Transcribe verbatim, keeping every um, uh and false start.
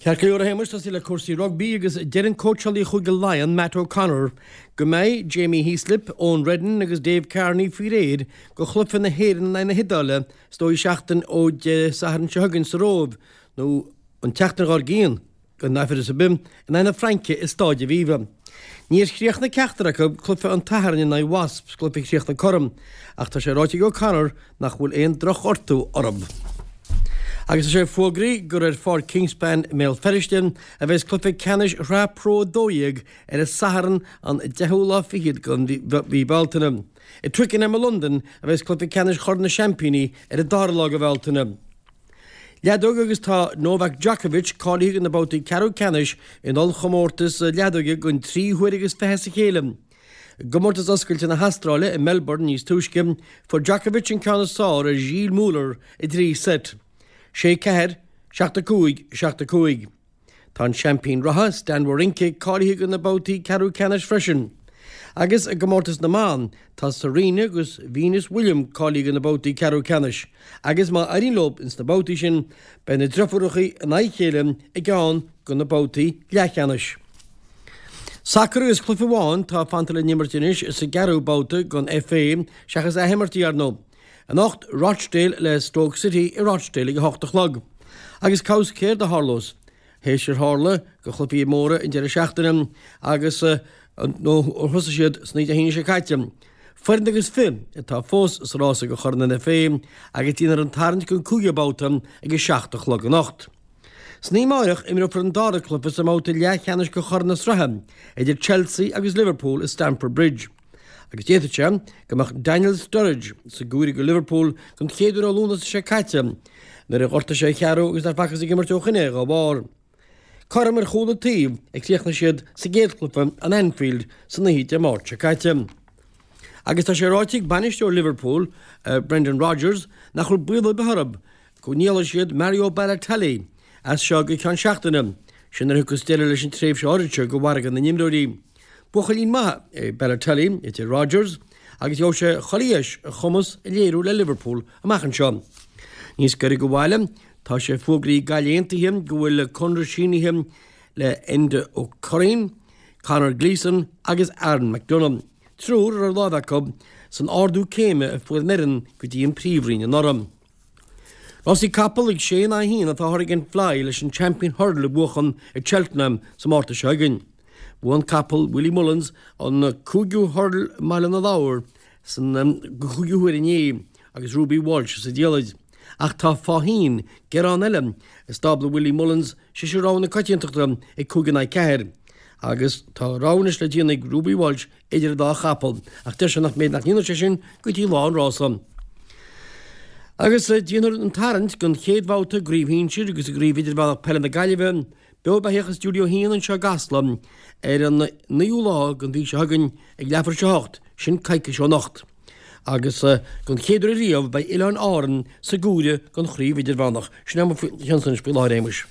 Ceart go leor, a Shéamais, tosaí le cúrsaí rugbaí agus deir an cóitseálaí Chúige Laighean, Matt O'Connor, go mbeidh Jamie Heaslip, Eoin Reddan agus Dave Kearney faoi réir do chluiche na hÉireann in aghaidh na hIodáile is dóigh seachtain ó Dé Sathairn seo chugainn sa Róimh nó an tseachtain dhár gcionn. Gan amhras ar bith, in aghaidh na Fraince i Stáid Aviva. Níor chríochnaigh ceachtar acu cluiche an tSathairn in aghaidh Wasps, cluiche chríochnaithe cothrom, ach tá sé ráite ag O'Connor nach bhfuil aon drochghortú orthu. Agus tá sé fógraithe gur ar Pháirc Kingspan i mBéal Feirste a bheas cluiche ceannais Shraith Pro a dó dhéag ar an Satharn an deichiú lá fichead den mhí Bealtaine. I Twickenham i Londain a bheas cluiche ceannais Chorn na Seaimpíní ar an dara lá de Bhealtaine. Leadóg agus tá Novak Djokovic cáilithe do na babhtaí ceathrú ceannais in ollchomórtas leadóige don tríú huair agus fiche as a chéile. I gcomórtas oscailte na hAstráile i Melbourne níos túisce, fuair Djokovic an ceann is fearr ar Gilles Muller i dtrí seit, sé ceathair, seacht a cúig, seacht a cúig. Tá an seaimpín reatha, Stan Wawrinka, cáilithe do na babhtaí ceathrú ceannais freisin. Agus i gcomórtas na mban, tá Serena agus Venus William cáilithe do na babhtaí ceathrú ceannais, agus má éiríonn leo ins na babhtaí sin, beidh na driofúracha in aghaidh a chéile i gceann de na babhtaí leathcheannais. Sacar agus cluiche amháin atá fanta le n-imirt anois sa gceathrú babhta den F A, seachas athimirtí, ar ndóigh. Anocht, Rochdale le Stoke City i Rochdale ag a hocht a chlog. Agus cá bhfios céard a tharlós? Théis ar tharla do chluichí móra an deireadh seachtaine agus nó ó thosaigh siad san oíche Dé hAoine seo caite. Foireann agus fiche atá fós sa rása do Chorn an F A agus déanfar an tarraingt don cúigiú babhta ag a seacht a chlog anocht. San oíche amárach imreofar an dara cluiche sa mbabhta leathcheannais do Chorn na Sraithe idir Chelsea agus Liverpool i Stamford Bridge. Agus d'fhéadfadh sé go mbeadh Daniel Sturridge sa gcomhaireamh do Liverpool don chéad uair ó Lúnasa seo caite nuair a ghortaigh sé a cheathrú agus nár facthas ag imirt ó shin é dá bharr. Cothrom ar chúl an taobh a chríochnaigh siad sa gcéad chluiche in Anfield san oíche Dé Máirt seo caite. Agus tá sé ráite ag bainisteoir Liverpool, Brendan Rodgers, nach bhfuil baol ar bith orthu go ndíolfaidh siad Mario Balotelli as seo go ceann seachtaine, sin nuair a thiocfas deireadh leis an tréimhse áirid seo de mhargadh na n-imreoirí. Buachaillín maith é Balotelli, a deir Rodgers, agus gheobhaidh sé chuile dheis a chumas a léiriú le Liverpool amach anseo. Níos gaire do bhaile, tá sé fógraithe ag Gaillimh Aontaithe go bhfuil conradh sínithe le Enda O'Curraoin, Conor Gleeson agus Aaron McDonagh, triúr a raibh lámh acu san ardú céime a fuair an fhoireann go dtí an Príomhroinn anuraidh. Rásaí capall ag sé in aghaidh a haon atá Hurricane Fly leis an Champion Hurdle a bhuachan ag Cheltenham sa Márta seo chugainn. Bhuaigh an capall Willie Mullins an cúigiú hurdle i mBaile na Lobhar san chúigiú huair inné agus Ruby Walsh sa diallait. Ach tá Faugheen, gearán eile i stábla Willie Mullins, sise rogha na coitiantachta ag cúig in aghaidh ceathair. Agus tá rogha anois le déanamh ag Ruby Walsh idir an dá chapall, ach deir sé nach mbeidh nach ndéanfaidh sé sin go dtí lá an rása. Agus déanfar an tarraingt don chéad bhabhta i gCraobh Shinsir agus i gCraobh Idirmheánach Peile na Gaillimhe beo beathach i Stiúideo a hAon anseo i gCasla ar an naoú lá den mhí seo chugainn ag leathuair tar éis a hocht, sin coicís ó anocht. Agus don chéad uair riamh beidh Oileáin Árann sa gcomhaireamh don Chraobh Idirmheánach. Sin é mo cheannsa anois faoi láthair, a Shéamais.